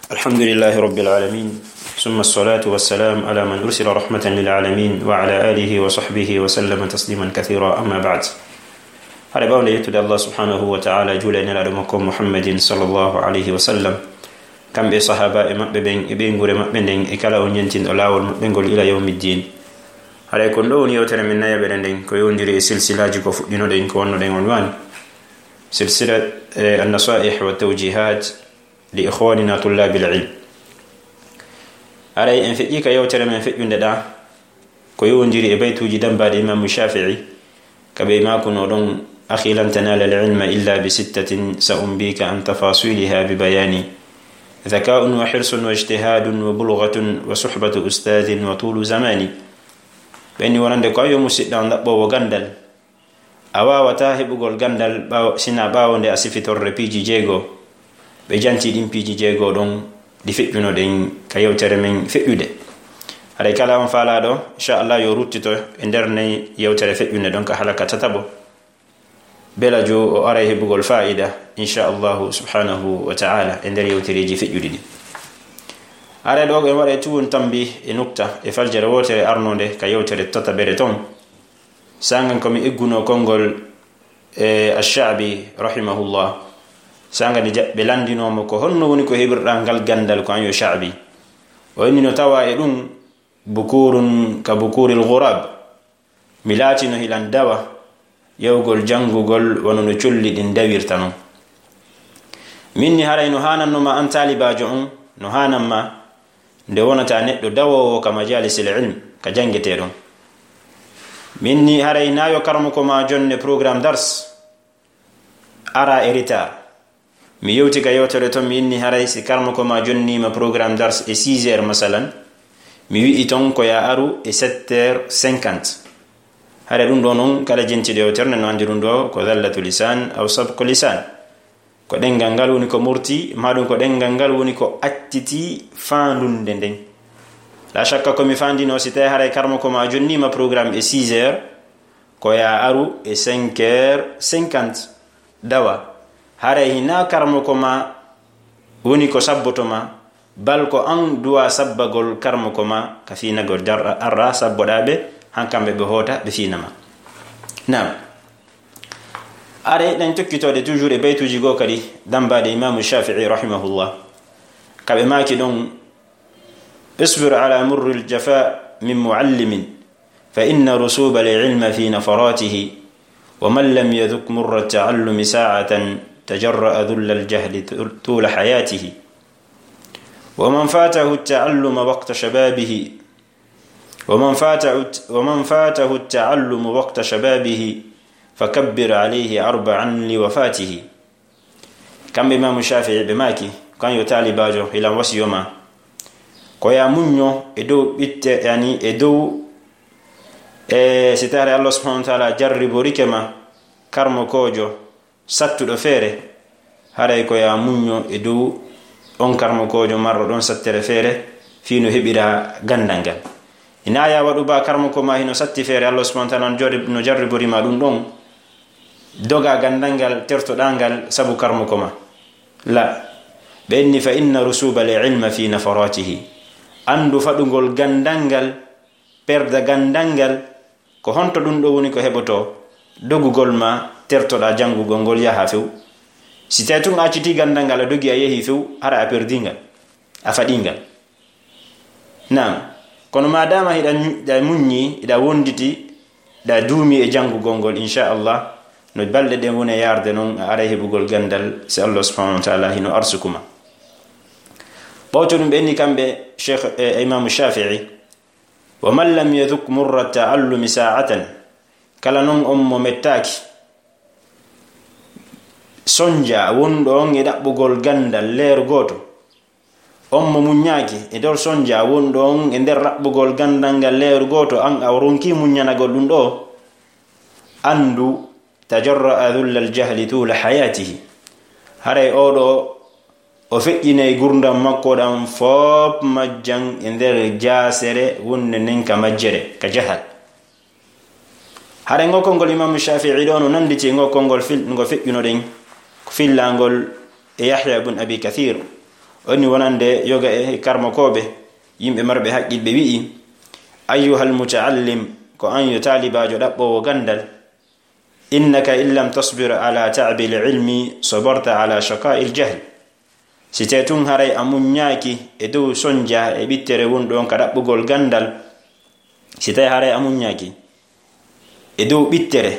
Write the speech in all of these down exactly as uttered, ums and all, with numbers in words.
الحمد لله رب العالمين، ثم الصلاة والسلام على من أرسل رحمة للعالمين، وعلى آله وصحبه وسلم تسليما كثيرا، أما بعد. Haray ɓawnde yettude Allah subhanahu wa ta'ala, juula e Nelaaɗo makko Muhammadin sallallahu alayhi wa sallam, kamɓe e sahaabaaɓe maɓɓe ɓen, e ɓeynguure maɓɓe nden, e kala on ñentinɗo laawol maɓɓe ngol ila yawmiddin. Haray kon ɗo woni yewtere men nayaɓere nden, ko yowndiri e silsilaaji ko fuɗɗinoɗen, ko wannoɗen unwan. Silsila, eh, an-nasaih wa tawjihat li ikhwanina tullabil ilm. Haray en feƴƴi ka yewtere men feƴƴunde ɗa, ko yowndiri e baytuuji dambaaɗi Imaamu Shafi'i, ka ɓe maakuno ɗon: "أخي لن تنال العلم إلا بستة سأنبيك عن تفاصيلها ببيان، ذكاء وحرص واجتهاد وبلغة وصحبة أستاذ وطول زمان." Ɓe inni wonande ko: "Ayo musiɗɗo am ɗaɓɓoowo ganndal, a waawataa heɓugol ganndal ɓaawo, sina ɓaawo nde a sifitorre piiji jeego." Ɓe janti ɗin piiji jeego ɗon ɗi feƴƴunoɗen ka yewtere men feƴƴude. Haray kala on faalaaɗo, inchallah, yo ruttito e nder nden yewtere feƴƴunde ɗon ka halaka tataɓo. Bela jo o aray heɓugol faa'ida, inchallahu subhanahu wa ta'ala, e nder yewtereeji feƴƴuɗi ɗin. Haray ɗo en waɗay tuwon tambi e nukta e faljere wootere arnonde ka yewtere tataɓere ton. Sangan ko mi egguno konngol, e, Ash-Sha'bi rahimahullah. Sanga nde ja-, ɓe lanndinoo mo ko honno woni ko heɓirɗaa ngal ganndal ko an yo Sha'bi. O inni no tawa e ɗum bukurun ka bukuril ghurab. Mi laatino hilan dawa yawgol janngugol wano no colli ɗin dawirta non. Min ni haray no haananno ma an taalibaajo on, no haanan ma nde wonata neɗɗo dawoowo ka majalisil ilm, ka janngetee ɗon. Min ni haray na yo karmoko ma jonne programme dars, ara e retard. Mi yewti ka yewtere ton, mi inni haray si karmoko ma jonniima programme dars e six heures masalan, mi wi'i ton ko ya aru e sept heures cinquante. Haray ɗum ɗo non kala jentiiɗo yewtere nden no anndi ɗum ɗo ko zallatu lisan aw sabqu lisan. Ko ɗenngal ngal woni ko murti, maa ɗum ko ɗenngal ngal woni ko acciti faandunde nden. La shakka ko mi faandino, si tawi haray karmoko ma jonniima programme e six heures, ko ya aru e cinq heures cinquante. Dawa, haray hinaa karmoko ma woni ko sabboto ma, bal ko an duwa sabbagol karmoko ma ka fiinagol darɗa, arra sabboɗaa ɓe, han kamɓe ɓe hoota ɓe fiina ma. Naam. Are ɗen tokkitode toujours e baytuuji goo kadi dambaaɗe Imaamu Shafi'i rahimahullah. Ka ɓe maaki ɗon: "اصبر على مر الجفاء من معلم، فإن رسوب العلم في نفراته، ومن لم يذق مر التعلم ساعة، تجرأ ذل الجهل طول حياته. ومن فاته التعلم وقت شبابه، ومن فاته، ومن فاته التعلم وقت شبابه، فكبر عليه أربعا لوفاته." Kamɓe Imaamu Shafi'i ɓe maaki, kan yo taalibaajo, hilan wasiyo ma, ko ya muñño e dow ɓitte, yani e dow, e si tawi Allah subhanahu wa ta'ala jarriborike ma karmokoojo sattuɗo feere, haray ko ya muñño e dow on karmokoojo marɗo ɗon sattere feere, fii no heɓira ganndal ngal. Ina ya waɗu ba karmoko ma hino satti feere, Allah subhanahu wa ta'ala no jarri-, no jarribori ma ɗum ɗon, doga ganndal ngal, tertoɗaa ngal sabu karmoko ma. La, ɓe inni: "Fa inna rusubal ilma fi nafaratihi." Anndu faɗugol ganndal ngal, perda ganndal ngal, ko honto ɗum ɗo woni ko heɓotoo? Dogugol ma, tertoɗaa janngugol ngol yaha few. Si tawi tun a accitii ganndal ngal, a dogi a yehi few, hara a perdii ngal, a faɗii ngal. Naam, kono maadaama hiɗa ñu-, hiɗa muññi, hiɗa wonditi, hiɗa duumi e janngugol ngol, inchallah, no balɗe ɗen woni e yaarde non, a aray heɓugol ganndal, si Allah subhanahu wa ta'ala hino arsuku ma. Ɓawto ɗum ɓe inni kamɓe Cheikh, e Imaamu Shafi'i, "Wa man lam yadhuq murra ta'allumi sa'atan." Kala non on mo mettaaki sonja wonɗo on e ɗaɓɓugol ganndal leer gooto, on mo muññaaki e nder sonja wonɗo on e nder ɗaɓɓugol ganndal ngal leer gooto, an a ronki muññanagol ɗum ɗo, anndu, tajarra'a dhullal jahli tula hayatihi. Haray oo ɗo o feƴƴinay gurdam makko ɗam fof majjan e nder jaasere wonde nden ka majjere, ka jahal. Haray ngol konngol Imaamu Shafi'i ɗo no nannditi e ngol konngol fil-, ngo feƴƴunoɗen, ko fillangol e Yahya ibn Abi Kathir. woni wonande yoga e karmokooɓe, yimɓe marɓe haqqil, ɓe wi'i: "Ayyuhal muta'allim, ko an yo taalibaajo ɗaɓɓoowo ganndal, innaka in lam tasbir ala ta'bil ilmi, sabarta ala shaqa'il jahl." Si tee tun haray a muññaaki e dow sonja e ɓittere wonɗon ka ɗaɓɓugol ganndal, si tee haray a muññaaki e dow ɓittere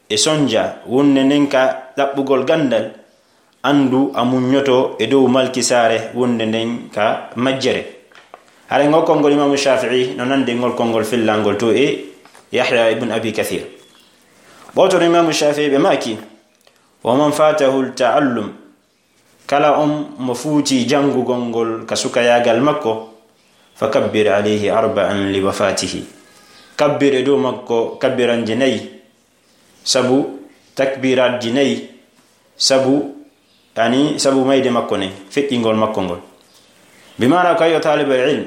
e sonja wonde nden ka ɗaɓɓugol ganndal, anndu a muññoto e dow malkisaare wonde nden ka majjere. Haray ngol konngol Imaamu Shaafi'i no nandi ngol konngol fillangol to e Yahya ibn Abi Kathir. Ɓawto no Imaamu Shaafi'i ɓe maaki: "Wa man fatahu al-ta'allum, kala on mo fuuti janngugol ngol ka sukayaagal makko, fa kabbir alayhi arba'an li wafatihi." Kabbir e dow makko kabbiranje nayi, sabu takbiraatji nayi, sabu, yani, sabu mayde makko nden, feƴƴingol makko ngol. Bi maana ko yo taalibal ilm,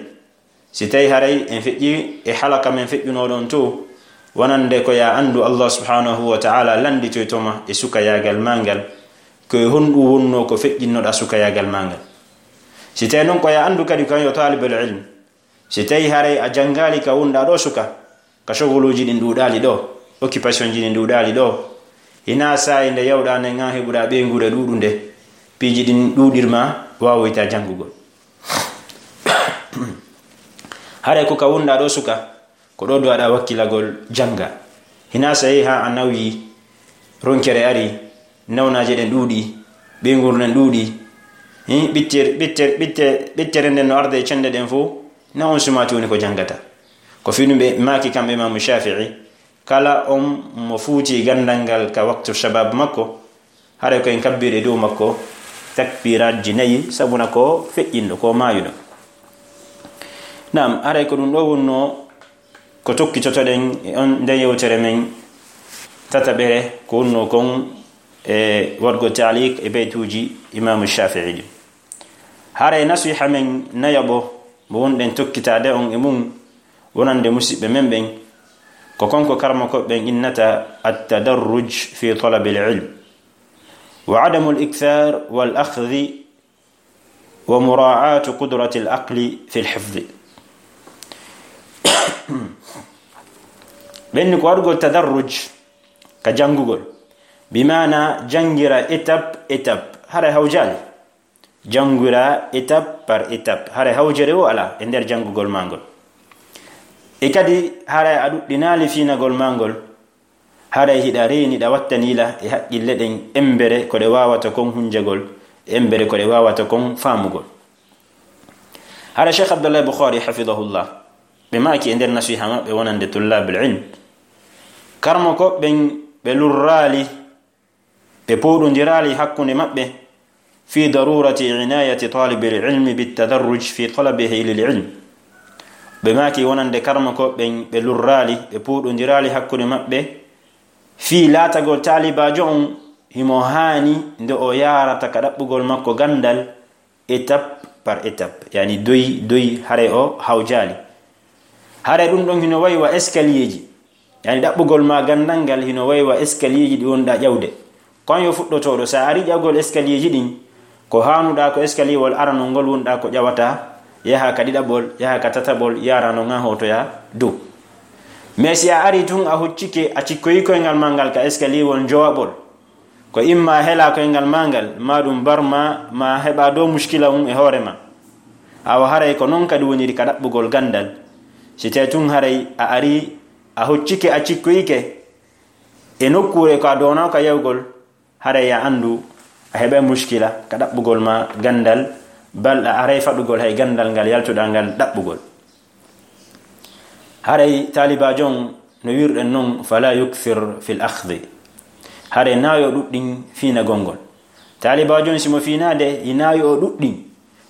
si tawi haray en feƴƴi e halaka men feƴƴunoo ɗon to, wonande ko ya anndu Allah subhanahu wa ta'ala lannditoyto ma e sukayaagal maa ngal, ko e honɗum wonnoo ko feƴƴinnoɗaa sukayaagal maa ngal. Si tawi non ko ya anndu kadi ko yo taalibal ilm, si tawi haray a janngaali ka wonɗaa ɗo suka, ka shogoluuji ɗin ɗuuɗaali ɗo, occupation ji ɗin ɗuuɗaali ɗo, hinaa saa'i nde yawɗaa nden an heɓuɗaa ɓeynguure ɗuuɗunde, piiji ɗin ɗuuɗirma, waawoytaa janngugol. Haray ko ka wonɗaa ɗo suka, ko ɗo duwaɗaa wakkilagol jannga. Hinaa saa'i haa a nawyi, ronkere ari, nawnaaje ɗen ɗuuɗi, ɓeynguure nden ɗuuɗi, hi, ɓittere, ɓittere, ɓittere, ɓittere nden no arda e cende ɗen fow, na on sumaati woni ko janngata. Ko fii ɗum ɓe maaki kamɓe Imaamu Shaafi'i, kala on mo fuuti ganndal ngal ka waktu shabab makko, haray ko en kabbiri e dow makko takbiraatji nayi, sabuna ko feƴƴinɗo, ko maayuɗo. Naam, haray ko ɗum ɗo wonnoo ko tokkitotoɗen e on nden yewtere men tataɓere, ko wonnoo kon e waɗgo taaliq e beytuuji Imaamu Shaafi'i ɗin. Haray nasiha men nayaɓo mo wonɗen tokkitaade on e mum, wonande musiɓɓe men ɓen, ko kon ko karmokooɓe ɓen innata at-tadarruj fi talabil ilm, wa adamul ikthar wal akhdhi, wa mura'atu qudratil aqli fil hifdhi. Ɓenni ko waɗugol tadarruj ka janngugol, bi maana janngira étape, étape, haray hawjaali. Janngira étape par étape, haray hawjere wo alaa e nder janngugol maa ngol. E kadi, haray a ɗuɗɗinaali fiinagol maa ngol, haray hiɗa reeni, ɗa wattanii la e haqqille ɗen embere ko ɗe waawata kon hunjagol, embere ko ɗe waawata kon faamugol. Haray Cheikh Abdallah Bukhari, hafidahullah, ɓe maaki e nder nasiha maɓɓe wonande tullabul ilm, karmokooɓe ɓen ɓe lurraali, ɓe pooɗondiraali hakkunde maɓɓe, fi darurati inayati talibil ilmi bit tadarruj fi talabihi lil ilm. Ɓe maaki wonande karmokooɓe ɓen ɓe lurraali, ɓe pooɗondiraali hakkunde maɓɓe, fii laatagol taalibaajo on himo haani nde o yaarata ka ɗaɓɓugol makko ganndal, étape par étape, yani doy doy, haray o hawjaali. Haray ɗum ɗon hino wayi wa escalierji, yani ɗaɓɓugol ma ganndal ngal hino wayi wa escalierji ɗi wonɗaa ƴawde. Kon yo fuɗɗotooɗo, sa ari ƴawgol escalierji ɗin, ko haanuɗaa ko escalierwol aranol ngol wonɗaa ko ƴawataa, yaha ka ɗiɗaɓol, yaha ka tataɓol, yaara non haa hootoyaa dow. Mais si a ari tun a huccike, a cikkoyi koyngal maa ngal ka escalierwol njowaɓol, ko imma helaa koyngal maa ngal, maa ɗum barma, maa heɓaa dow muskila on e hoore ma. Awa haray ko non kadi woniri ka ɗaɓɓugol ganndal. Si tee tun haray a ari, a huccike, a cikkoyike e nokkuure ko a doonaa ka yawgol, haray a anndu a heɓay muskila ka ɗaɓɓugol ma ganndal, bal a aray faɗugol hay ganndal ngal yaltuɗaa ngal ɗaɓɓugol. Haray taalibaajo on, no wi'irɗen non, fala yukthir fil akhdhi. Haray naa yo ɗuɗɗin fiinagol ngol. Taalibaajo on, si mo fiinaade, hinaa yo o ɗuɗɗin,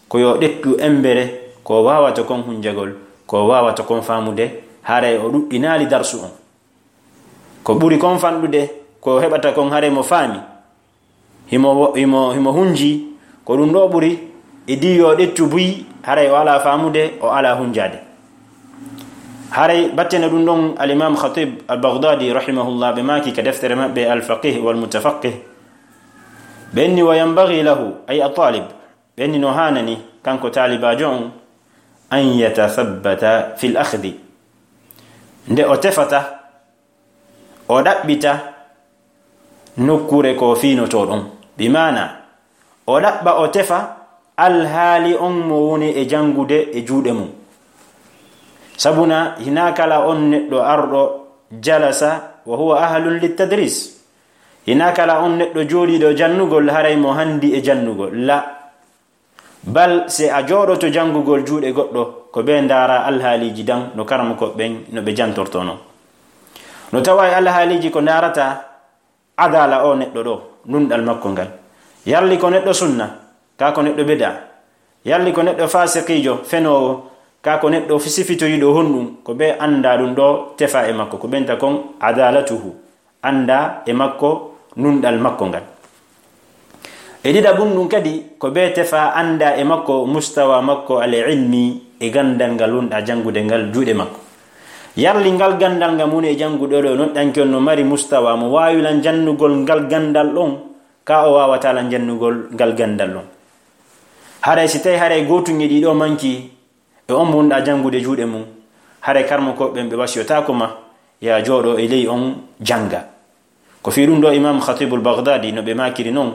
ko yo ɗettu embere ko waawata kon hunjagol, ko waawata kon faamude, haray o ɗuɗɗinaali darsu on. Ko ɓuri kon fanɗude, ko heɓata kon haray mo faami. Himo, himo, himo hunji, ko ɗum ɗo ɓuri, e di yo ɗettu buy, haray o alaa faamude, o alaa hunjaade. Haray battene ɗum ɗon, al-Imam Khatib al-Baghdadi rahimahullah, ɓe maaki ka deftere maɓɓe Al-Faqih wal Mutafaqih, ɓe inni: "Wa yanbaghi lahu, ay at-talib, ɓenni no haanani, kanko taalibaajo on, an yatathabbata fil akhdi, nde o tefata, o ɗaɓɓita nokkuure ko fiinotoo ɗon. Bi maana, o ɗaɓɓa, o tefa alhaali on mo woni e janngude e juuɗe mum. Sabuna, hinaa kala on neɗɗo arɗo jalasa wa huwa ahlun littadris. Hinaa kala on neɗɗo jooɗiiɗo jannugol haray mo handi e jannugol. La. Bal, si a jooɗoto janngugol juuɗe goɗɗo, ko ɓe ndaara alhaaliiji dan no karamokooɓe ɓen no ɓe jantortoo non. No tawa e alhaaliiji ko ndaarata adala o neɗɗo ɗo, nunɗal makko ngal. Yalli ko neɗɗo sunna, kaa ko neɗɗo bida. Yalli ko neɗɗo faasiqiijo, fenoowo, kaa ko neɗɗo sifitoyiiɗo honɗum, ko ɓe annda ɗum ɗo tefa e makko, ko ɓenta kon adalatuhu. Annda e makko nunɗal makko ngal. E ɗiɗaɓun ɗum kadi, ko ɓe tefa annda e makko mustawa makko al ilmi e ganndal ngal wonɗa janngude ngal juuɗe makko. Yalli ngal ganndal ngal woni e janngude ɗo, noɗɗanke on no mari mustawa mo waawi lan jannugol ngal ganndal ɗon, ka o waawata lan jannugol ngal ganndal ɗon. Haray si tawi haray gootun e ɗiɗo manki, e on mo wonɗa janngude juuɗe mum, haray karmokooɓe ɓen ɓe wasiyotaako ma, ya jooɗo e ley on jannga. Ko fii ɗum ɗo Imam Khatibul Baghdadi no ɓe maakiri non,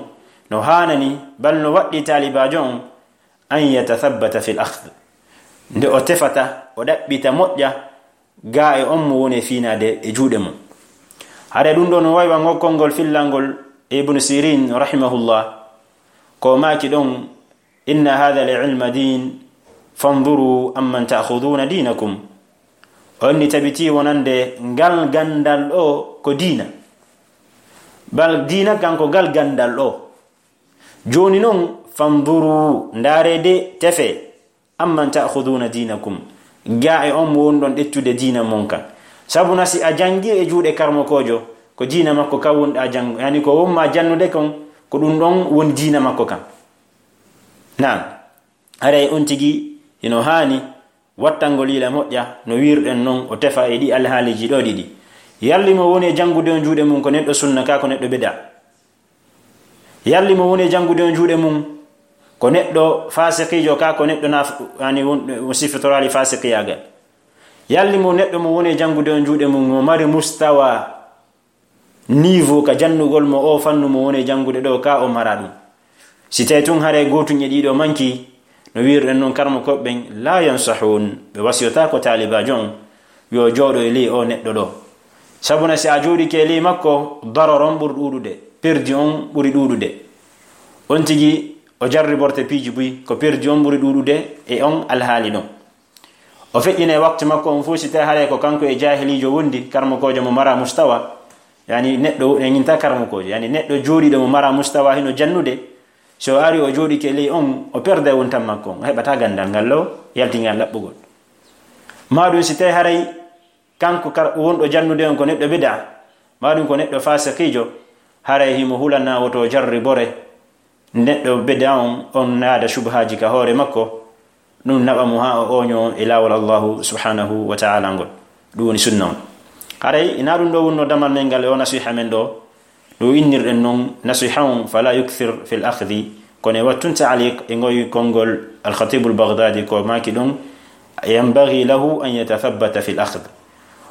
no haanani, bal no waɗɗi taalibaajo on, an yatathabbata fil akhd. Nde o tefata, o ɗaɓɓita moƴƴa, ga e on mo woni e fiinaade e juuɗe mum. Haray ɗum ɗo no wayi wa ngokkol ngol fillangol Ibn Sirin rahimahullah, ko maaki ɗon, inna hadha al ilma din, fanzuru amman ta'khuduna dinakum. On ni tabiti wonande ngal ganndal ɗo ko diina. Bal diina kan ko ngal ganndal ɗo. Jooni non, fanzuru, ndaare de, tefe, amman ta'khuduna dinakum. Ga e on mo wonɗon ƴettude diina mon kan. Sabuna si a janngi e juuɗe karmokoojo, ko diina makko kan wonɗa janngo, yani ko wonma jannude kon, ko ɗum ɗon woni diina makko kan. Naam, haray on tigi hino haani wattangol yila moƴƴa no wiirɗen non, o tefa e ɗi alhaaliiji ɗo ɗiɗi. Yalli mo woni e janngude on juuɗe mum ko neɗɗo sunna ka ko neɗɗo bida? Yalli mo woni e janngude on juuɗe mum ko neɗɗo faasiqiijo ka ko neɗɗo naf-, yani won, won sifitoraali faasiqiyaagal? Yalli mo neɗɗo mo woni e janngude on juuɗe mum mo mari mustawa niveau ka jannugol mo o fannu mo woni e janngude ɗo ka o mara ɗum? Si tawi tun haray gootun e ɗiɗo manki, no wiirɗen non karmokooɓe ɓen, la yansahun, ɓe wasiyotaako taalibaajo on yo jooɗo e ley o neɗɗo ɗo. Sabuna si a jooɗike e ley makko, daror on ɓuri ɗuuɗude, perdi on ɓuri ɗuuɗude. On tigi o jarriborte piiji buy, ko perdi on ɓuri ɗuuɗude e on alhaali ɗon. O feƴƴina e waktu makko on fof, si tawi haray ko kanko e jaahiliijo wondi, karmokoojo mo mara mustawa, yani neɗɗo en inta karmokoojo, yani neɗɗo jooɗiiɗo mo mara mustawa hino jannude, so o ari o jooɗike ley on, o perde wontan makko on, o heɓata ganndal ngal law, yalti ngal laɓɓugol. Maa ɗum si tawi haray kanko kar-, wonɗo jannude on ko neɗɗo bida, maa ɗum ko neɗɗo faasiqiijo, haray himo hulana woto jarribore, neɗɗo bida on, on naada subhaaji ka hoore makko, ɗum naɓa mo haa o ooño e laawol Allahu subhanahu wa ta'ala ngol. Ɗum woni sunna on. Haray, ina ɗum ɗo wonno damal men ngal e o nasiha men ɗo, ɗo innirɗen non nasiha on, fala yukthir fil akhdi, kono e wattun ta'liq e ngoy konngol Al-Khatibul Baghdadi ko maaki ɗum, yanbaghi lahu an yatathabbata fil akhd.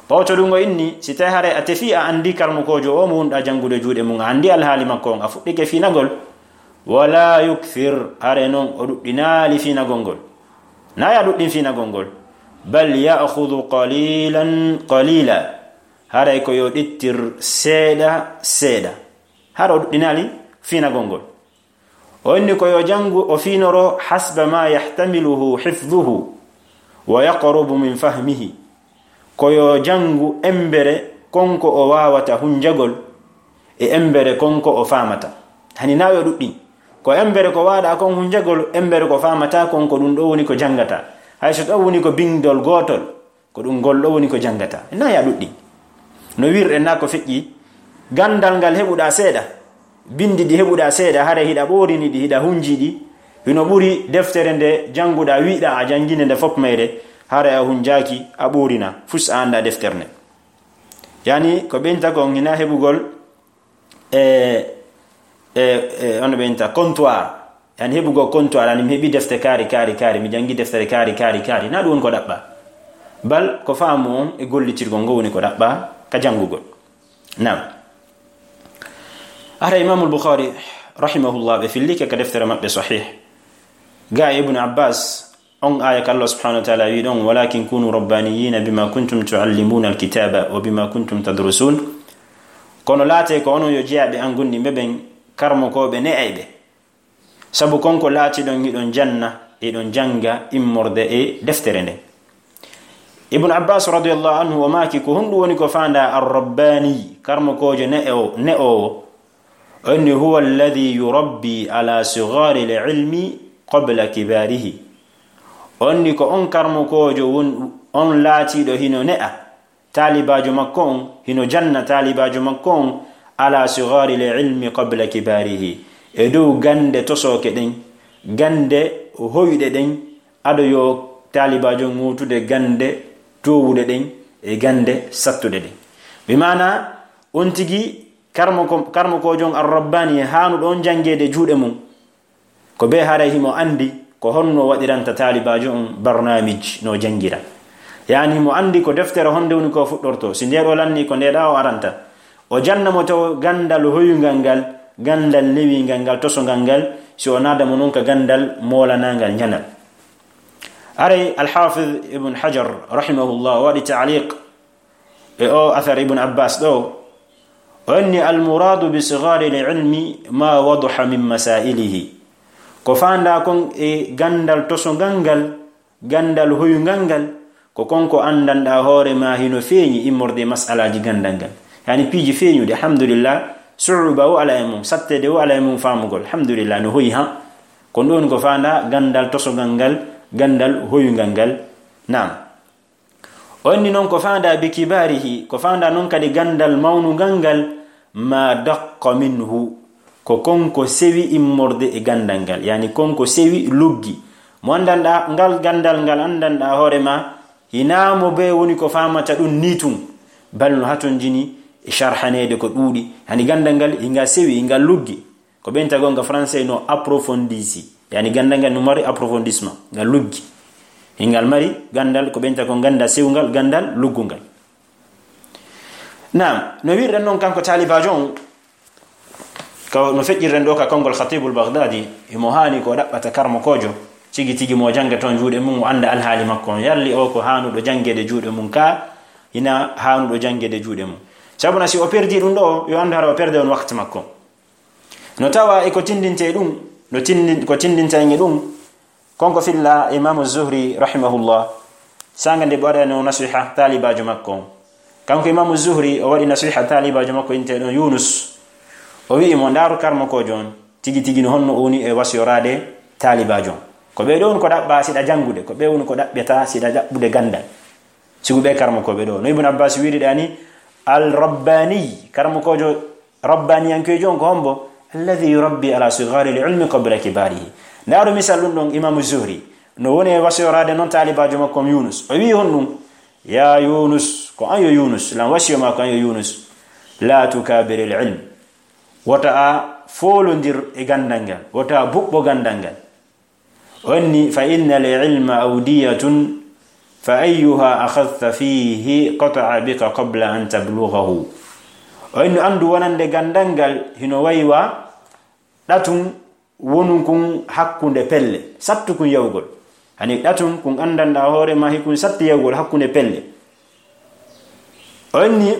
Ɓawto ɗum o inni, si tawi haray a tefi a anndi karmokoojo o mo wonɗa janngude juuɗe mum, a anndi alhaali makko on, a fuɗɗike fiinagol, wala yukthir, haray non o ɗuɗɗinaali fiinagol ngol. Na ya ɗuɗɗin fiinagol ngol. Bal ya'khudhu qalilan qalila. Haray ko yo ɗittir seeɗa seeɗa. Hara o ɗuɗɗinaali fiinagol ngol. O inni ko yo janngu o fiinoro hasba ma yahtamiluhu hifdhuhu wa yaqrubu min fahmihi. Ko yo janngu embere kon ko o waawata hunjagol e embere kon ko o faamata. Hani na yo ɗuɗɗin. Ko embere ko waaɗa kon hunjagol, embere ko faamata kon ko ɗum ɗo woni ko janngata. Hay so ɗo woni ko binndol gootol, ko ɗum ngol ɗo woni ko janngata. Na ya ɗuɗɗin. No wiirɗen na ko feƴƴi, ganndal ngal heɓuɗa seeɗa, binndi ɗi heɓuɗa seeɗa, haray hiɗa ɓoorini ɗi, hiɗa hunji ɗi, hino ɓuri deftere nde jannguɗa, wiɗa a janngine nde fof mayre, haray a hunjaaki, a ɓoorina, fus a annda deftere nde. Yani, ko ɓeynta kon hina heɓugol e, e, e, ono ɓeynta, comptoir, yani heɓugol konto aɗa ni mi heɓi defte kaari kaari kaari mi janngi deftere kaari kaari kaari na ɗum woni ko ɗaɓɓa. Bal ko faamu on e gollitirgol ngo woni ko ɗaɓɓa ka janngugol. Naam. Hara Imamul Bukhari rahimahullah ɓe fillike ka deftere maɓɓe sahih ga e Ibnu Abbas on aya ka Allah subhanahu wa taala wi ɗon walakin kunu rabbaniyina bima kuntum tuallimuna alkitaba wa bima kuntum tadrusun. Kono laate ko onon yo jeyaaɓe an gonɗinɓe ɓen karmokooɓe ne'ayɓe. Sabu kon ko laatiɗon hiɗon janna hiɗon jannga immorde e deftere nden. Ibnu Abbas radiallahu anhu o maaki ko honɗum woni ko faanda arrabbani karmokoojo ne'o- ne'oowo? Onni huwa alladi yurabbi ala sigari lilmi qabla kibarihi. Onni ko on karmokoojo won on laatiiɗo hino ne'a taalibaajo makko on hino janna taalibaajo makko on ala sigari lilmi qabla kibarihi e dow gannde tosooke ɗen gannde hoyuɗe ɗen ado yo taalibaajo ŋootude gannde toowuɗe ɗen e gannde sattuɗe ɗen. Bi maana on tigi karmokoojo on arrabbani e haanuɗo on janngeede juuɗe mum ko bee haray himo anndi ko honno waɗiranta taalibaajo on barnaamij no janngira. Yaani himo anndi ko deftere honde woni ko fuɗɗorto si ndeeɗo lanni ko ndeeɗa o aranta o janna mo taw ganndal hoyungal ngal ganndal newingal ngal tosongal ngal si o naada mo non ka ganndal moolanangal njanal. Aray alhafiz ibn hajar rahimahullah o waɗi taaliq e o athar ibn abbas ɗo o inni almuradu bi sigari lilmi ma waduha min masailihi. Ko faanda kon e ganndal tosongal ngal ganndal hoyungal ngal ko kon ko anndanɗa hoore ma hino feeñi immorde e masalaji ganndal ngal yani piiji feeñuɗi alhamdulillah suuba o ala e mum sattede o ala e mum faamugol alhamdulillah no hoyi ha. Kon ɗon ko faanda ganndal tosongal ngal ganndal hoyungal ngal. Naam. Onni non ko faanda bi kibarihi ko faanda non kadi ganndal mawnungal ngal ma daqqa minhu ko kon ko sewi immorde e ganndal ngal yani kon ko sewi luggi mo anndanɗa ngal ganndal ngal anndanɗa hoore ma hinaa mo bee woni ko faamata ɗum ni tun bal no hatonjini e sharhaneede ko ɗuuɗi hani ganndal ngal hinga sewi hinga luggi. Ko ɓen tagonga français no approfondisi yani ganndal ngal no mari approfondissement ngal luggi hingal mari ganndal ko ɓen tago gannda sewgal ganndal luggungal. Naam. No wirɗen noon kanko taalibaajo on ko no feƴƴirɗen ɗo ka konngol khatibul baghdadi himo haani ko ɗaɓɓata karmokoojo tigi tigi mo jannga toon juuɗe mum o annda alhaali makko on yalli o ko haanuɗo janngeede juuɗe mum ka hina haanuɗo janngeede juuɗe mum. Sabuna si o perdi ɗum ɗo yo anndu hara o perde on wakti makko. No tawa e ko tindinte ɗum no tindi ko tindinta en e ɗum. Konko filla imamu zuhri rahimahullah sanga nde ɓe waɗano nasiha taalibaajo makko on. Kanko imamu zuhri o waɗi nasiha taalibaajo makko inteɗon yunus o wi'i mo ndaaru karmokoojo on tigi tigi no honno o woni e wasiyoraade taalibaajo on. Ko ɓe ɗon ko ɗaɓɓa siɗa janngude ko ɓe woni ko ɗaɓɓeta siɗa ɗaɓɓude ganndal. Sigu ɓe karmokooɓe ɗo no ibnu abbas wiiri ɗani al rabbani karmokoojo rabbaniyankeejo on ko hombo alladi yurabbi ala sigari lilmi qabla kibarihi. Ndaaru misal ɗum ɗon imamu zuhri no woni e wasiyoraade noon taalibaajo makko on yunus o wii hon ɗum ya yunus ko an yo yunus lan wasiyo ma ko an yo yunus la tukabir lilm wota a foolondir e ganndal ngal wota a buɓɓo ganndal ngal. Onni fa inna lilma awdiyatun fa ayyuha akhadta fihi qata'a bika qabla an tablugahu. Onni anndu wonande ganndal ngal hino waywa ɗatum wonun kun hakkunde pelle sattu kun yawgol. Hani ɗatum kun anndanɗa hoore ma hikun satti yawgol hakkunde pelle. Onni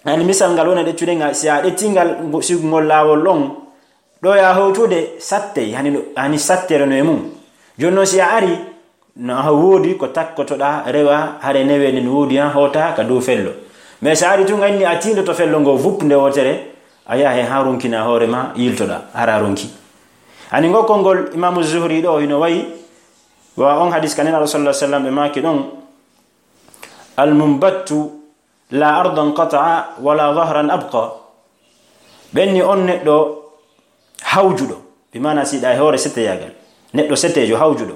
hani misal ngal wona ɗeccude ngal si a ɗetti ngal sigugol laawol ɗon ɗo ya howtude sattey hani sattere no e mum. Jooni noon si a ari no a woodi ko takkotoɗa rewa hare neweende no woodi ha hoota ka dow fello. Mais si a ari tun anni a tiindoto fello ngo vup nde wootere a yaha he ha ronkina hoore ma yiltoɗa hara ronki. Ani ngokkol ngol imamu zuhri ɗo hino wayi wa on hadis ka nenaɗo sallah sallam ɓe maaki ɗon almumbattu la ardan qata'a wala dahran abqa. Ɓenni on neɗɗo hawjuɗo bi mana siɗa e hoore setteyagal neɗɗo settejo hawjuɗo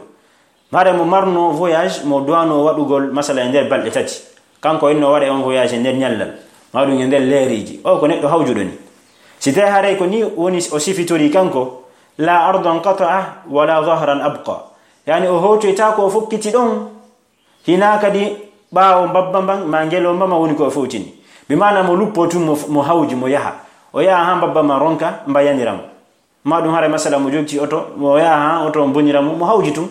mare mo marno voyage mo duwano waɗugol masala e nder balɗe tati kanko inno waɗa on voyage e nder ñallal ma ɗum e nder leereji o ko neɗɗo hawjuɗo ni. Si tawi haray ko ni woni o sifitori kanko la ardan qata'a wala dhahran abqa. Yani o hootoyta ko o fokkiti ɗon, hina kadi ɓaawo mbabba mban ma ngelomba ma woni ko o fowtini. Bi maana mo luppo tun mo, mo hawji mo yaha. O yaha ha mbabba ma ronka mbayanira mo. Ma ɗum hara masala mo jogti oto, mo yaha ha oto mbonira mo, mo hawji tun.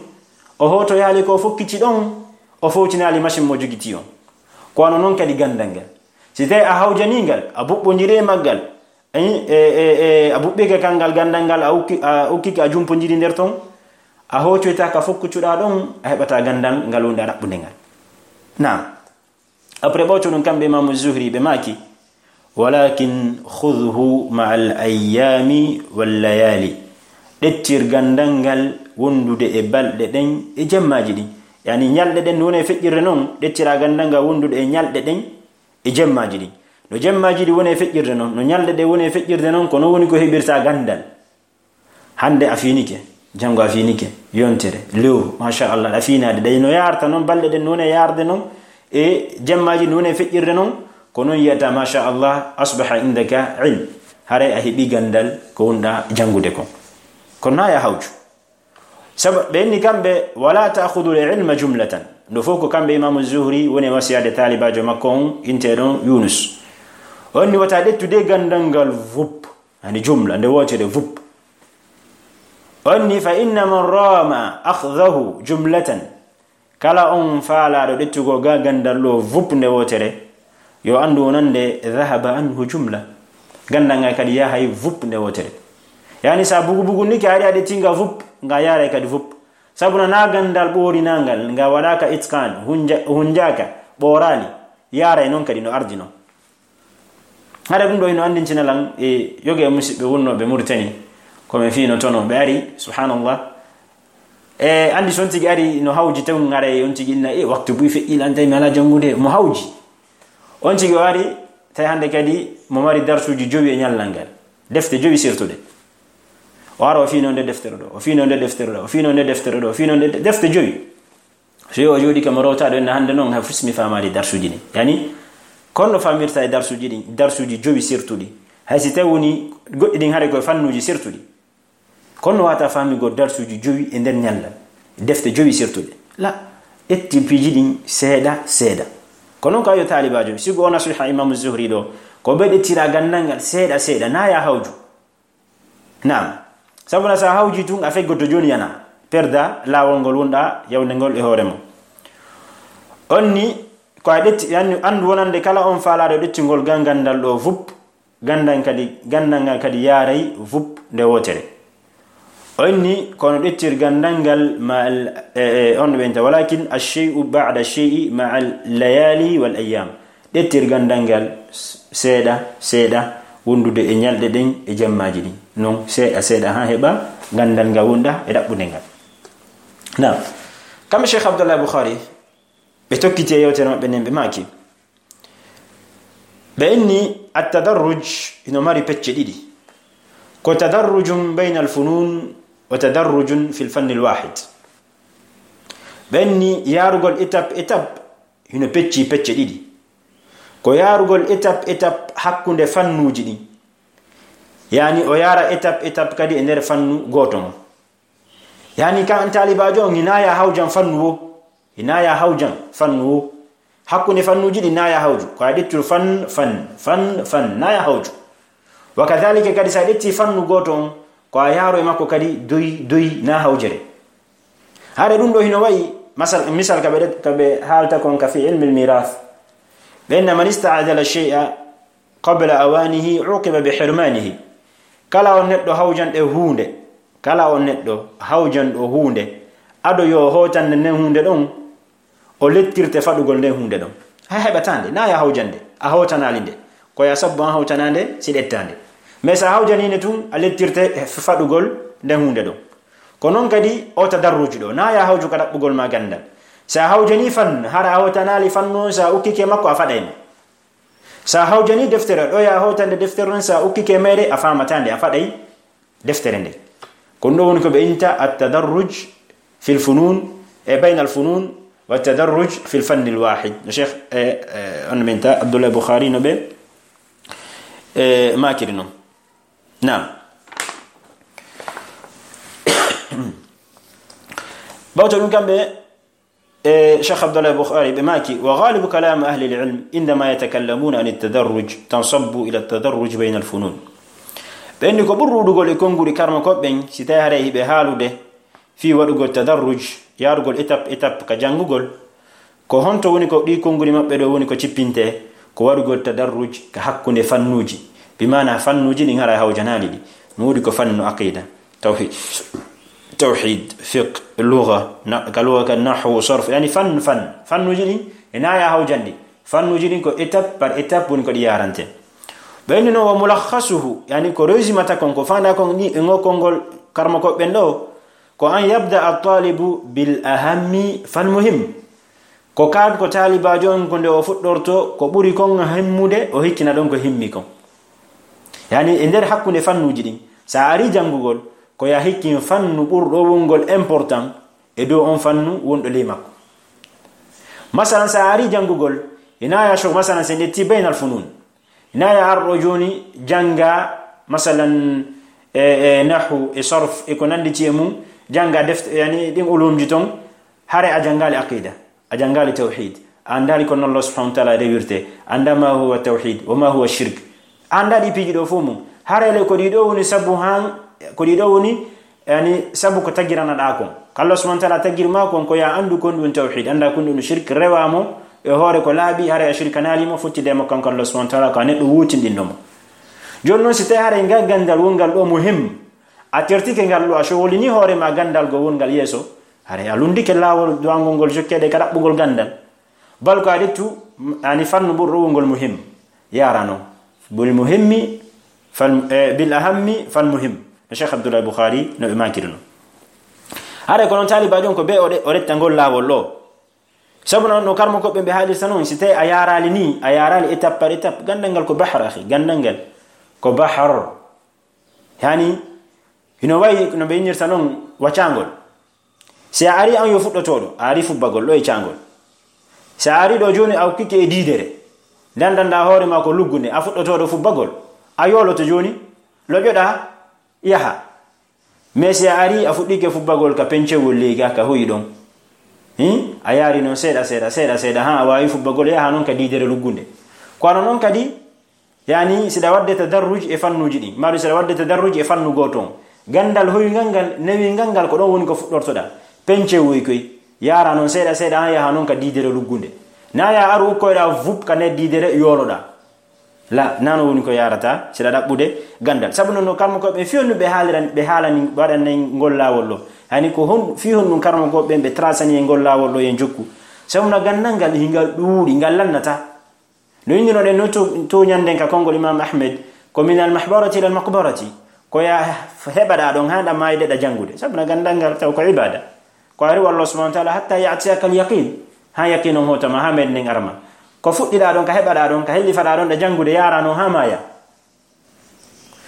O hootoyaali ko o fokkiti ɗon, o fowtinaali machine mo jogiti on. Ko wano non kadi gandal ngal. Si tawi a hawjani ngal, a buɓɓondiri e maggal, e, e, e, e, a buɓɓike kanngal gandal ngal, a ukki, a ukkike, a jumpondiri nder ton, a hootoyta ka fokkucuɗa ɗon, a heɓata gandal ngal wonde a ɗaɓɓunde ngal. Naam. Après ɓawto ɗum kamɓe Imamu Zuhri ɓe maaki, walakin khudhu ma al ayyami wal layali. Ɗettir gandal ngal wondude e balɗe ɗen e jemmaji ɗin. Yani ñalɗe ɗen no woni e feƴƴirde non, ɗettira gandal ngal wondude e ñalɗe ɗen e jemmaji ɗin. No jemmaji ɗin woni e feƴƴirde non, no ñalɗe ɗen woni e feƴƴirde non, ko non woni ko heɓirta gandal. Hande a fiinike, jango a fiinike, yontere, lewru, machallah, a fiinaade. Ɗay no yaarta non, balɗe ɗen no woni e yaarde non, e jemmaji no woni e feƴƴirde non, ko non yiyata, machallah, asbaha indaka ilm. Haray a heɓi gandal ko wonɗa jangude kon. Kono na ya hawju. Sabu ɓe inni kamɓe, wala ta'khudhu al-ilma jumlatan. Ɗo fof ko kamɓe Imamu Zuhri woni e wasiyaade taalibaajo makko on, inteɗon Yunus. O inni wata ɗettude gandal ngal vup, yani jumla, nde wootere vup. O inni, fa inna man rama akhdahu jumlatan. Kala on faalaaɗo ɗettugol ga gandal ɗo vup nde wootere, yo anndu wonande dhahaba anhu jumla. Gandal ngal kadi yahay vup nde wootere. Yani sa bugu bugu ni ke ari a ɗetti nga vup, nga yaray kadi vup. Sabu na gandal ɓoorinangal, nga waɗaka itqan, hunja-, hunjaka, ɓoorali, yaray non kadi no ardi non. Hara ɗum ɗo hino anndintina lan e yoga e musidɓe wonnooɓe Mauritanie, ko men fii no tono ɓe ari, subhanallah. E anndi so on tigi ari no hawji taw ngara e on tigi inna, e waktu buy feƴƴi lan tawi mi alaa janngude, mo hawji. On tigi o ari, tawi hannde kadi mo mari darsuuji jowi e ñallal ngal. Defte jowi sirtuɗe. O ara o fii no nde deftere ɗo, o fii no nde deftere ɗo, o fii no nde deftere ɗo, o fii no nde de-, defte jowi. So yo o jooɗi kam o rewtaɗo en hannde noon, hay fus mi faamaali darsuuji ɗin. Yani, kono no faamirta e darsuuji ɗin, darsuuji jowi sirtuɗi. Hay si tawi woni goɗɗi ɗin hare koye fannuuji sirtuɗi. Kono no wata faamigol darsuuji jowi e nder ñallal. Defte jowi sirtuɗe. La, ƴetti piiji ɗin seeɗa, seeɗa. Ko noon ka yo taalibaajo, sigo o nasiha Imamu Zuhri ɗo, ko ɓe ƴettira gandal ngal seeɗa, seeɗa, na ya hawju. Naam. Sabu na sa hawji tun a feggoto jooni yana. Perda laawol ngol wonɗa yawnde ngol e hoore mo. On ni, ko a ƴetti, andu, andu wonande kala on faalaaɗo ƴettingol ga gandal ɗo vup, gandal kadi, gandal ngal kadi yaaray vup nde wootere. On ni, kono ƴettir gandal ngal ma al, e, e, on ɓenta, walakin ash-shay'u ba'da ash-shay'i ma al layali wal ayyam. Ƴettir gandal ngal s-, seeɗa, seeɗa, wondude e ñalɗe ɗen e jemmaaji ɗin. Non, seeɗa, seeɗa, haa heɓa gandal ngal wonɗa e ɗaɓɓunde ngal. Naam. Kamɓe Cheikh Abdallah Bukhari, ɓe tokkiti e yewtere maɓɓe nden, ɓe maaki. Ɓe inni, at-tadarruj hino mari pecce ɗiɗi. Ko tadarrujun bayna al-funun wa tadarrujun fil fanni al-wahid. Ɓe inni, yaarugol étape, étape, hino pecci pecce ɗiɗi. Ko yaarugol étape, étape hakkunde fannuuji ɗin. Yani o yaara étape, étape kadi e nder fannu gooto mo. Yani ka an taalibaajo on, hina ya hawjan fannu wo. Hina ya hawjan fannu wo. Hakkunde fannuuji ɗin na ya hawju. Ko a ƴettude fan, fan, fan, fan, na ya hawju. Wa kadhalika kadi sa ƴetti fannu gooto on, ko a yaaro e makko kadi doy, doy na hawjere. Hare ɗum ɗo hino wayi, masal, misal ka ɓe, ka ɓe haalta kon ka fi ilmi al-mirath. Ɓe inna man ista'jala shay'a qabla awanihi uqiba bi hirmanihi. Kala on neɗɗo hawjanɗo huunde, kala on neɗɗo hawjanɗo huunde, ado yo hotande nden huunde ɗon, o lettirte faɗugol nden huunde ɗon. A heɓata nde, na ya hawjande, a hotanaali nde. Ko ya sabbu an hawtanande, si ɗettande. Mais sa hawjani nde tun, a lettirte f-, faɗugol nden huunde ɗon. Ko non kadi o tadarruju ɗo, na ya hawju ka ɗaɓɓugol ma gandal. Sa hawjani fan, hara a hotanaali fannu on, sa ukkike makko a faɗay mo. Sa hawjani deftere, ɗo ya hotande deftere on, sa ukkike mayre, a faamata nde, a faɗay deftere nde. Ko ɗum ɗo woni ko ɓe innta at-tadarruj fil funun, e bayna al-funun, wa tadarruj fil fanni al-wahid. No Cheikh, e, e, on min ta Abdullah Bukhari no ɓe, e, maakiri non. Naam. Ɓawto ɗum kamɓe, e Cheikh Abdallah Bukhari ɓe maaki, وغالب كلام أهل العلم عندما يتكلمون عن التدرج تنصب إلى التدرج بين الفنون. Ɓe inni ko ɓuri ɗuuɗugol e konnguɗi karmakooɓe ɓen, si tawi haray hiɓe haalude fii waɗugol tadarruj, yaarugol étape étape ka janngugol, ko honto woni ko ɗi konnguɗi maɓɓe ɗo woni ko cippinte, ko waɗugol tadarruj ka hakkunde fannuuji. Bi maana fannuuji ɗin haray hawjanaali ɗi. No woodi ko fannu aqida, tawhid, tawhid, fiqh, lugha, na-, ka lugha ka nahwu, sarf, yani fan, fan, fannuuji ɗin e naaya hawjandi. Fannuuji ɗin ko étape par étape woni ko ɗi yaarante. Ɓe inni noon, وملخصه, yani ko résumata kon, ko faanda kon ni e ngo konngol karmakooɓe ɓen ɗo, ko أن يبدأ الطالب بالأهم فالمهم. Ko kaan ko taalibaajo on ko nde o fuɗɗorto, ko ɓuri kon himmude, o hikkina ɗon ko himmi kon. Yani e nder hakkunde fannuuji ɗin, sa ari janngugol, ko ya hikkin fannu ɓurɗo wongol important e dow on fannu wonɗo ley makko. Masalan, sa ari janngugol, ina ya shok, masalan, sen ƴetti baynal funun. Ina ya arɗo jooni jannga, masalan, e, e nahwu, e sarf, e ko nannditi e mum, jannga defte, yani ɗin ulumji ton, hare a janngaali aqida, a janngaali tawhid, a anndaali ko non Allah subhanahu wa ta'ala rewirte, annda ma huwa tawhid, wa ma huwa shirk. A annda ɗi piiji ɗo fof mum. Hare le ko ɗi ɗo woni sabu han, ko ɗi ɗo woni, yani, sabu ko tagiranaɗaa kon. Ko Allah subhanahu wa ta'ala tagir ma kon, ko ya anndu kon ɗum tawhid, annda kon ɗum shirk, rewa mo e hoore ko laaɓi, hare a shirkanaali mo, fotti de mo kanko Allah subhanahu wa ta'ala, ko a neɗɗo wootinɗinɗo mo. Jooni noon, si tawi hare ngal ganndal wongal ɗo muhim, a tertike ngal ɗo, a sowolini hoore ma ganndal go wongal yeeso, hare a lundike laawol duwangol ngol jokkeede ka ɗaɓɓugol ganndal. Bal ko a ƴettu, yani fannu ɓurɗo wongol muhim, yaara noon. Bil muhimmi fal, eh, bil ahammi fal muhim. No Cheikh Abdullah Bukhari no ɓe maakiri noon. Hare ko noon taalibaajo on ko be o ɗe-, o retta ngol laawol ɗo. Sabu noon no karmakooɓe ɓe haalirta noon, si tawi a yaaraali ni, a yaaraali étape par étape, ganndal ngal ko bahar, akhi, ganndal ngal ko bahar. Yani, hino wayi no ɓe innirta noon wacaangol. Si a ari an yo fuɗɗotooɗo, a ari fubbagol ɗo e caangol. Si a ari ɗo jooni a ukkike e diidere, ndandanɗaa hoore ma ko luggunde, a fuɗɗotooɗo fubbagol, a yooloto jooni, loƴoɗaa, yaha. Mais si a ari a fuɗɗike fubbagol ka pencewol ley ga ka hoyi ɗon, hin? A yaari noon seeɗa, seeɗa, seeɗa, seeɗa, haa a waawi fubbagol, yaha noon ka diidere luggunde. Ko ano noon kadi, yani, siɗa waɗde tadarruj e fannuuji ɗin, maɗum siɗa waɗde tadarruj e fannu gooto on. Ganndal hoyngal ngal, newingal ngal, ko ɗon woni ko fuɗɗortoɗaa. Pencewoy koy, yaara noon seeɗa seeɗa, haa yaha noon ka diidere luggunde. Na ya aru ukkoyɗaa vup ka nder diidere yooloɗaa. La, nano woni ko yarata, siɗa ɗaɓɓude ganndal. Sabu noon, no karmakooɓe ɓe fewndo ɓe haalirani, ɓe haalani, ɓe waɗani ngol laawol ɗo. Hani ko hon, fii honɗum karmakooɓe ɓen ɓe trasani e ngol laawol ɗo, yen jokku. Sabu na ganndal ngal, hingal ɗuuɗi, ngal lannata. No inndunoɗen no to, to ɲannden ka konngol Imam Ahmed, ko min al mahbarati ila al maqbarati, ko ya heɓaɗa ɗon haa ɗa maayde ɗa janngude. Sabu na ganndal ngal taw ko ibada. Ko a rewa Allah subhanahu wa ta'ala hatta ya'tiyaka al yaqin. Haa yaqin on hootama, haa meeɗen arma. Ko fuɗɗiɗa ɗon, ka heɓaɗa ɗon, ka hellifaɗa ɗon ɗa janngude, yaarano haa maaya.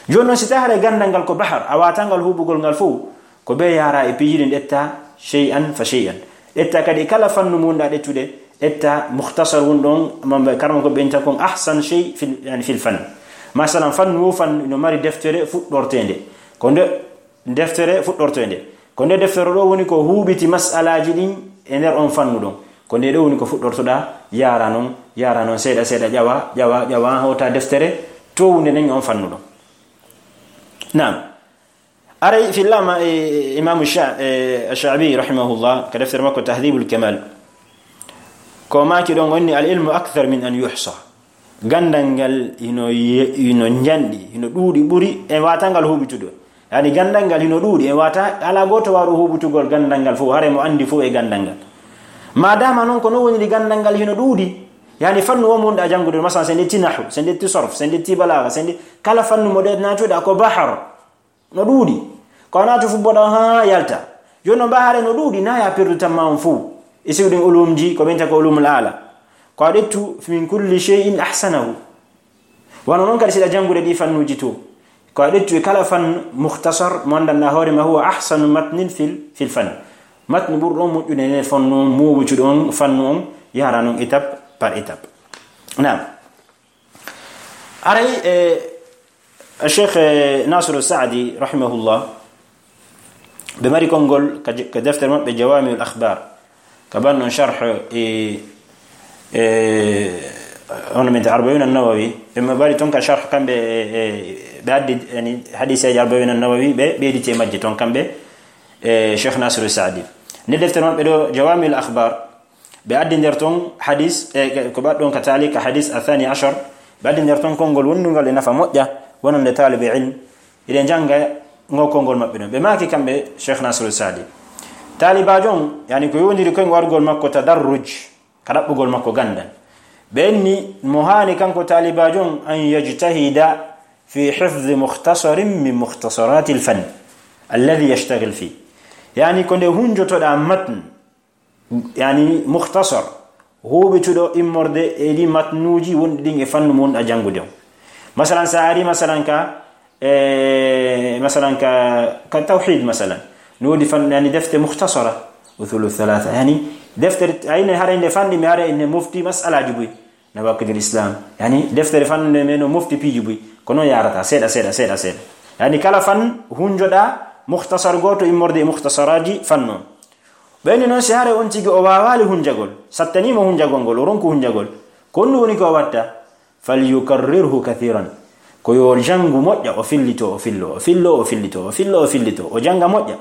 Jooni noon, si tawi haray ganndal ngal ko bahar, a waatangal huuɓugol ngal fof, ko ɓe yaara e piiji ɗin, ƴetta shay'an fa shay'an. Ƴetta kadi kala fannu mo wonɗa ƴettude, ƴetta mukhtasar won ɗon, mamɓe karma ko ɓe innta kon ahsan shay fil, yani fil fan. Masalan, fannu wo fannu no mari deftere fuɗɗorteende. Ko nde deftere fuɗɗorteende. Ko nde deftere ɗo woni ko huuɓiti mas'alaaji ɗin e nder on fannu ɗon. Ko nde ɗo woni ko fuɗɗortoɗa, yaara noon, yaara noon, seeɗa, seeɗa, ƴawa, ƴawa, ƴawa, hawta deftere townde nden e on fannu ɗon. Naam. Aray fillama e Imamu Sha-, e Sha'bi rahimahullah, ka deftere makko Tahdhibul Kamal. Ko maaki ɗon onni, "Al ilmu akthar min an yuhsa." Ganndal ngal hino ye-, hino njanɗi, hino ɗuuɗi ɓuri e waatangal huuɓitude. Yani ganndal ngal hino ɗuuɗi e waata, alaa gooto waaru huuɓitugol ganndal ngal fof, hare mo anndi fof e ganndal ngal. Maadaama noon ko non woniri ganndal ngal hino ɗuuɗi, yani fannu wo mun ɗa janngude, masalan, sen ƴetti nahwu, sen ƴetti sarf, sen ƴetti balaaga, sen ƴetti kala fannu mo ɗe naatuɗa ko bahar. No ɗuuɗi. Ko a naatu fuɗɗoɗa haa yalta. Jooni noon, mbaa haray no ɗuuɗi, na ya perdu tamma on fof. E siwɗin ulumji, ko ɓen taka ulumul aala. Ko a ƴettu min kulli shay'in ahsanahu. Wano noon kadi, siɗa janngude ɗi fannuuji to. Ko a ƴettu e kala fannu mukhtasar, mo anndanɗaa hoore ma, huwa ahsanu matnin fil, fil fann. Matnu ɓurɗo on moƴƴude e nder fannu on, mo wuccuɗo on fannu on, yahra noon étape par étape. Naam. Aray, e, Cheikh, e, Nasiru Saadi, rahimahullah, ɓe mari konngol ka je-, ka deftere maɓɓe Jawami'ul Akhbar, ka ban non sharh e, e, hono min ta Arba'una Nawawi, ɓe ma-, mari ton ka sharh kamɓe, e, e, ɓe addi, yani, hadiseeji Arba'una Nawawi, ɓe ɓeyditi e majje ton kamɓe, e, Cheikh Nasiru Saadi. Nde deftere maɓɓe ɗo, Jawami'ul Akhbar, ɓe addi nder ton hadis, e, ko ɓaɗɗon ka taali ka hadis Athani Ashar, ɓe addi nder ton konngol wondungal e nafa moƴƴa, wonande taalibe ilm, iɗen jannga ngo konngol maɓɓe ɗon. Ɓe maaki kamɓe Cheikh Nasiru Saadi. Taalibaajo on, yani ko yowndiri koye wargol makko tadarruj, ka ɗaɓɓugol makko ganndal. Ɓe inni mo haani kanko taalibaajo on an yajtahida fi hifzi mukhtasarin min mukhtasarati al-fann alladhi yashtagil fi. Yani ko nde hunjotoɗaa matn, yani mukhtasar, huuɓituɗo immorde e ɗi matnuuji wonɗi ɗin e fannu mo wonɗa janngude on. Masalan, sa ari, masalan, ka, e, masalan, ka, ka tawhid, masalan. No woodi fan, yani defte mukhtasara, usulu thalatha. Yani deftere, ayne hara inde fanɗi, mi hara inde mofti mas'alaji buy. Nawaqidul Islam. Yani deftere fannu nde men no mofti piiji buy. Kono yarata seeɗa, seeɗa, seeɗa, seeɗa. Yani kala fan hunjoɗa mukhtasar gooto immorde e mukhtasaraji fannu on. Ɓeyni noon, si haray on tigi o waawaali hunjagol, sattaniimo hunjagol ngol, o ronku hunjagol, ko honɗum woni ko o watta? "Falyukarrirhu kathiran." Ko yo o janngu moƴƴa, o fillito, o fillo, o fillo, o fillito, o fillo, o fillito, o jannga moƴƴa.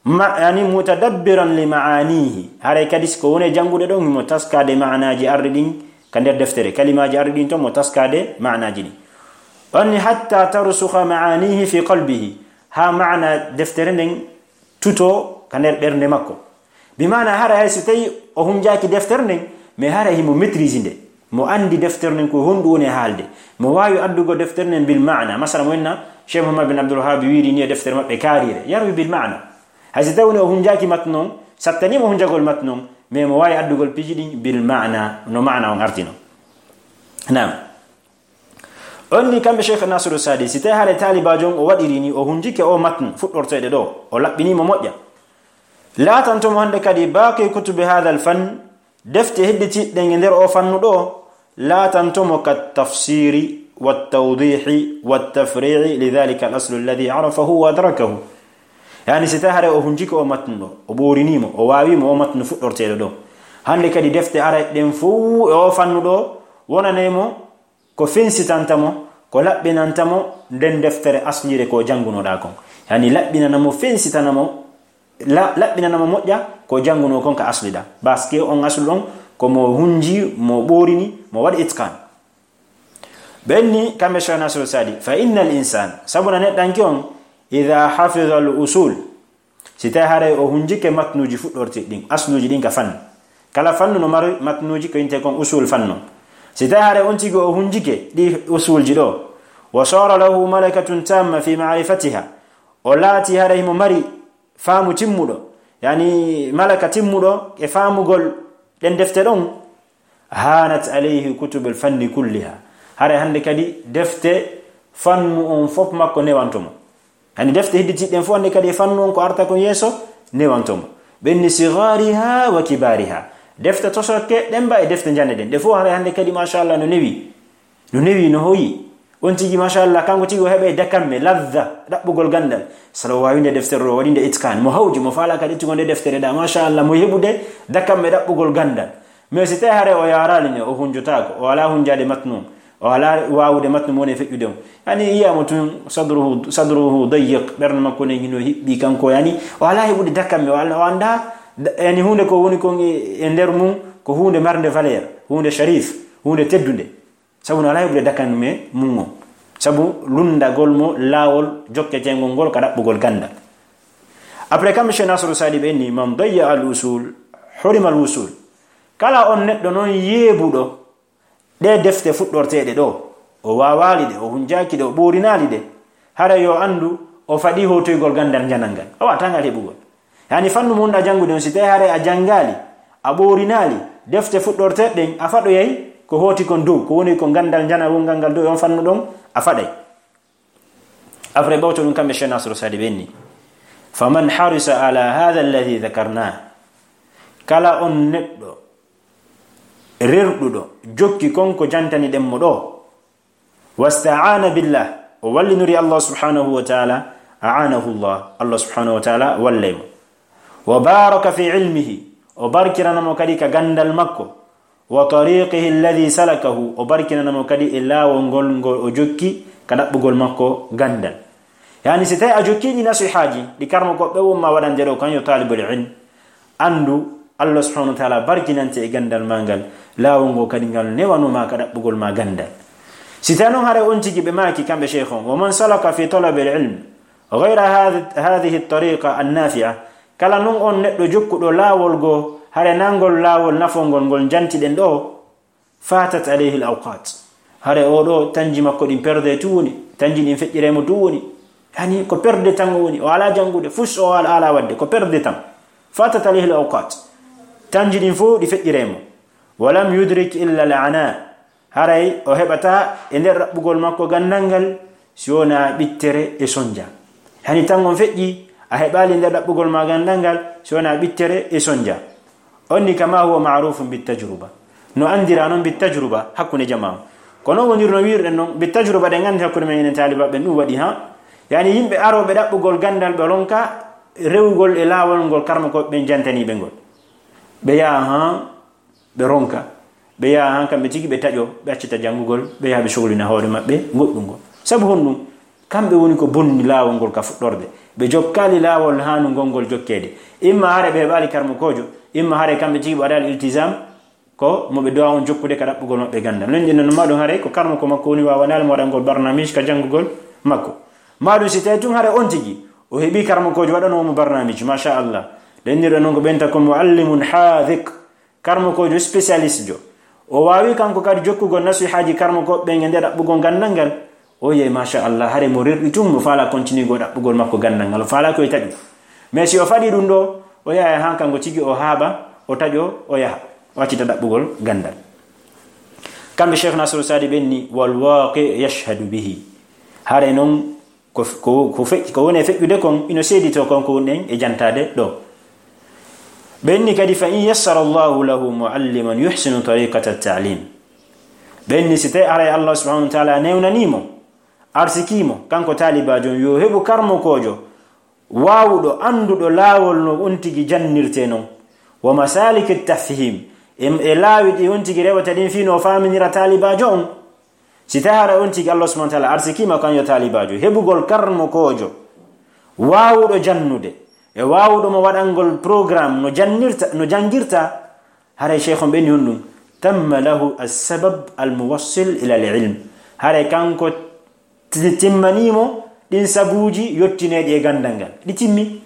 Ma-, yani mutadabbiran li ma'anihi. Haray kadi si ko woni e janngude ɗon, mo taskaade maanaaji arɗi ɗin ka nder deftere, kalimaaji arɗi ɗin ton, mo taskaade maanaaji ɗin. On ni hatta tarsukha ma'anihi fi qalbihi. Haa maana deftere nden tuto ka nder ɓernde makko. Bi maana hara hay si tawi o hunjaaki deftere nden, mais hara himo maîtrise nde. Mo andi deftere nden ko honɗum woni e haalde. Mo waawi addugo deftere nden bil maana. Masala mo inna Cheikh Muhammad bin Abdul Wahhab wiiri ni e deftere maɓɓe kaariire. Yarwi bil maana. Hay si tawi o hunjaaki matnu on, sattani mo hunjagol matnu on, mais mo waawi addugol piiji ɗin bil maana, no maana on artino. Naam. On ni kamɓe Cheikh Nasiru Saadi, si tawi haray taalibaajo on o waɗiri ni, o hunjike o matn fuɗɗorteeɗe ɗo, o laɓɓini mo moƴƴa. Laatanto mo hannde kadi baaqi kutubi hadha al-fann, defte hedditiiɗe ɗen e nder o fannu ɗo, laatanto mo ka tafsiri, wa tawdihi, wa tafri'i, li dhalika al-aslu alladhi arafahu wa adrakahu. Yani si tawi haray o hunjike o matn ɗo, o ɓoorini mo, o waawi mo o matn fuɗɗorteeɗo ɗo. Hannde kadi defte aray ɗen fow e o fannu ɗo, wonanay mo ko fensitanta mo, ko laɓɓinanta mo nden deftere asliire ko janngunoɗaa kon. Yani laɓɓinana mo, fensitana mo, la-, laɓɓinana mo moƴƴa ko janngunoo kon ka asli ɗa. Parce que on aslu ɗon ko mo hunji, mo ɓoorini, mo waɗi itqan. Ɓen ni kamɓe Cheikh Nasiru Saadi, "Fa innal insan, sabu na neɗɗanke on, idha hafiza al usul, si tawi haray o hunjike matnuuji fuɗɗorti ɗin, asluuji ɗin ka fannu. Kala fannu no mari matnuuji ko intee kon usul fannu. Si tawi haray on tigi o hunjike ɗi usulji ɗo, wa sara lahu malakatun tamma fi ma'rifatiha, o laati haray himo mari faamu timmuɗo, yani malaka timmuɗo e faamugol ɗen defte ɗon, hanat alayhi kutubul fanni kulliha." Haray hannde kadi defte fannu on fof makko newanto mo. Yani defte hedditiiɗe ɗen fof hannde kadi e fannu on ko arta kon yeeso newanto mo. Ɓen ni sighariha wa kibariha. Defte tosokke ɗen ba e defte njane ɗen. Ɗe fof haray hannde kadi machallah no newi. No newi, no hoyi. On tigi machallah, kanko tigi o heɓay dakamme, ladha, ɗaɓɓugol ganndal. Salo waawinde deftere ɗo, waɗinde itqan. Mo hawji, mo faala kadi ittugol nde deftere ɗa, machallah, mo heɓude dakamme ɗaɓɓugol ganndal. Mais si tawi haray o yaaraali ne, o hunjotaako, o alaa hunjaade matnu on, o alaa waawude matnu mo woni e feƴƴude on. Yani yiya mo tun sadruhu, sadruhu dayyiq, ɓernde makko ne hino hiɓɓi kanko, yani o alaa heɓude dakamme, o alaa, o anndaa, yani huunde ko woni kon e, e nder mum, ko huunde marnde valeur, huunde sharif, huunde teddunde. Sabu no alaa heɓude dakamme mum on. Sabu lunndagol mo laawol jokketeengol ngol ka ɗaɓɓugol ganndal. Après, kamɓe Cheikh Nasiru Saadi ɓe inni, "Man dayya al usul, hurima al wusul." Kala on neɗɗo non yeebuɗo ɗe defte fuɗɗorteeɗe ɗo, o waawaali ɗe, o hunjaaki ɗe, o ɓoorinaali ɗe, hara yo anndu o faɗi hootoygol ganndal njanal ngal. Awa, tangal heɓugol. Yani fannu mo wonɗa janngude on, si tawi haray a janngaali, a ɓoorinaali, defte fuɗɗorteeɗe ɗen, a faɗoyay ko hooti kon dow, ko woni ko ganndal njanal wongal ngal dow e on fannu ɗon, a faɗay. Après ɓawto ɗum kamɓe Cheikh Nasiru Saadi ɓe inni, "Faman harisa ala hadha alladhi dhakarna." Kala on neɗɗo rerɗuɗo jokki kon ko jantani ɗen mo ɗo, wasta'ana billah, o wallinori Allah subhanahu wa ta'ala, a'anahu Allah, Allah subhanahu wa ta'ala wallay mo. Wa baraka fi ilmihi, o barkinana mo kadi ka gandal makko. Wa tariqihi alladhi salakahu, o barkinana mo kadi e laawol ngol ngol o jokki ka ɗaɓɓugol makko gandal. Yani, si tawi a jokki ɗi nasihaaji ɗi karmo ko ɓe won ma waɗande ɗo, kan yo talibul ilm, andu Allah subhanahu wa ta'ala barkinante e gandal ma ngal, laawol ngol kadi ngal newanuma ka ɗaɓɓugol ma gandal. Si tawi noon haray on tigi ɓe maaki kamɓe sheikh on, wa man salaka fi talabil ilm ghayra hadhi-, hadhihi at-tariqa an-nafi'a, kala noon on neɗɗo jokkuɗo laawol goo, hare nangol laawol nafongol ngol njantiɗen ɗo, fatat alayhi al-awqat. Hare o ɗo tanji makko ɗin perde tu woni, tanji ɗin feƴƴire mo tu woni. Yani, ko perde tan o woni, o ala jangude, fus o ala, ala wadde, ko perde tan. Fatat alayhi al-awqat. Tanji ɗin fof ɗi feƴƴire mo. Wa lam yudrik illa al-ana. Haray o heɓata e nder ɗaɓɓugol makko gandal ngal, si wona ɓittere e sonja. Hani tan on feƴƴi, a heɓali nder ɗaɓɓugol ma gandal ngal, si wona ɓittere e sonja. On ni kama huwa ma'rufun bit tajruba. No andira non bit tajruba hakkunde jama on. Ko non wonirno wirɗen non, bit tajruba ɗen andi hakkunde men enen talibaɓe ɓen ɗum waɗi ha. Yani yimɓe aroɓe ɗaɓɓugol gandal ɓe ronka rewugol e laawol ngol karmo ko ɓen jantani ɓe ngol. Ɓe yaha ha ɓe ronka, ɓe yaha han kamɓe tigi ɓe taƴo, ɓe accita janngugol, ɓe yaha ɓe sohlina hoore maɓɓe goɗɗum ngol. Sabu honɗum? Kamɓe woni ko bonni laawol ngol ka fuɗɗorde. Ɓe jokkaali laawol haanungol ngol jokkeede. Imma hare ɓe heɓaali karmokoojo, imma hare kamɓe tigi ɓe waɗaali iltisam, ko mo ɓe dowa on jokkude ka ɗaɓɓugol maɓɓe ganndal. Non ɗin non, ma ɗum hare ko karmoko makko woni waawanaali mo waɗangol barnaamij ka janngugol makko. Ma ɗum si tawi tun hare on tigi, o heɓi karmokoojo waɗanoo mo barnaamij, machallah. Ɗen ɗin non ko ɓenta ko muallimun haadiq. Karmokoojo spécialiste jo. O waawi kanko kadi jokkugol nasihaaji karmokooɓe ɓen e nder ɗaɓɓugol ganndal ngal. O yehi, machallah, hare mo rerɗi tun, mo faala continue go ɗaɓɓugol makko ganndal ngal. O faala ko e taƴu. Mais si o faɗi ɗum ɗo, o yaha han kanko tigi o haaɓa, o taƴo, o yaha. O accita ɗaɓɓugol ganndal. Kamɓe Cheikh Nasiru Saadi ɓen ni, wal waqi yashhadu bihi. Hare non, ko, ko, ko fe-, ko woni e feƴƴude kon, ino seeditoo kon ko woni en e jantaade ɗo. Ɓen ni kadi, fa in yassara Allahu lahu mualliman yuhsinu tariqata at-ta'lim. Ɓen ni si tawi haray Allah subhanahu wa ta'ala newnanii mo, arsikii mo, kanko taalibaajo on, yo heɓu karmokoojo waawuɗo, annduɗo laawol no on tigi jannirtee non, wa masalik at-tafhim, e, e laawi ɗi on tigi rewata ɗin fii no faaminira taalibaajo on. Si tawi hara on tigi Allah subhanahu wa ta'ala arsikiima kan yo taalibaajo heɓugol karmokoojo waawuɗo jannude, e waawuɗo mo waɗangol programme no jannirta, no janngirta, haray cheikh on ɓen ni honɗum? Tamma lahu as-sabab al-muwassil ila al-ilm. Haray kanko ti-, timmanii mo ɗin sabuuji yottineeɗi e ganndal ngal. Ɗi timmi.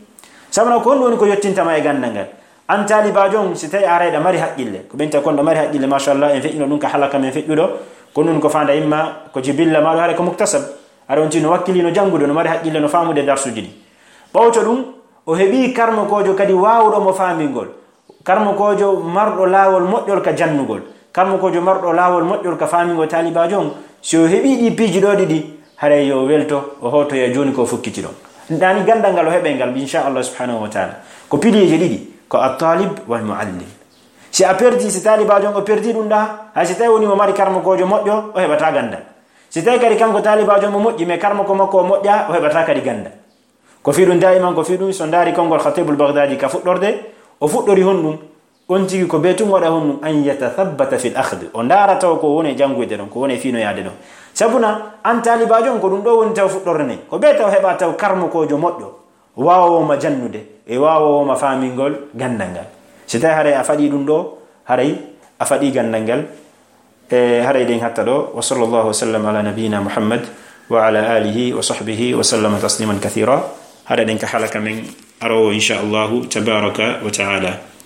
Sabu na ko honɗum woni ko yottinta ma e ganndal ngal? An taalibaajo on, si tawi a haray ɗa mari haqqille, ko ɓen tawi kon ɗa mari haqqille, machallah, en feƴƴino ɗum ka halaka men feƴƴuɗo, ko ɗum ko faanda imma ko jibilla ma ɗo haray ko muktasab. Haray on tigi no wakkilii no janngude, no mari haqqille, no faamude darsuuji ɗi. Ɓawto ɗum, o heɓii karmokoojo kadi waawuɗo mo faamingol. Karmokoojo marɗo laawol moƴƴol ka jannugol. Karmokoojo marɗo laawol moƴƴol ka faamingol taalibaajo on. Si o heɓii ɗii piiji ɗoo ɗiɗi, haray yo welto, o hootoya jooni ko fukkiti ɗon. Ɗaani ganndal ngal o heɓay ngal, inchallah subhanahu wa ta'ala. Ko piliyeeji ɗiɗi, ko at-talib wal muallim. Si a perdi, si taalibaajo on o perdi ɗum ɗa, hay si tawi woni mo mari karmokoojo moƴƴo, o heɓata ganndal. Si tawi kadi kanko taalibaajo on mo moƴƴi, mais karmoko makko o moƴƴa, o heɓata kadi ganndal. Ko fii ɗum daiman, ko fii ɗum so ndaari konngol Khatibul Baghdadi ka fuɗɗorde, o fuɗɗori honɗum? On tigi ko bee tun waɗa honɗum? An yatathabbata fil akhd. O ndaara taw ko woni e jannguyde ɗon, ko woni e fiinoyaade ɗon. Sabu na an taalibaajo on ko ɗum ɗo woni taw fuɗɗorde nden. Ko bee taw heɓa taw karmokoojo moƴƴo, waawoowo ma jannude, e waawoowo ma faamingol ganndal ngal. Si tawi haray a faɗi ɗum ɗo, haray a faɗi ganndal ngal. E haray ɗen hatta ɗo. Wa sallallahu wa sallam ala nabiyyina Muhammad wa ala alihi wa sahbihi wa sallama tasliman kathira. Haray ɗen ka halaka men aroowo, insha Allahu tabaraka wa ta'ala.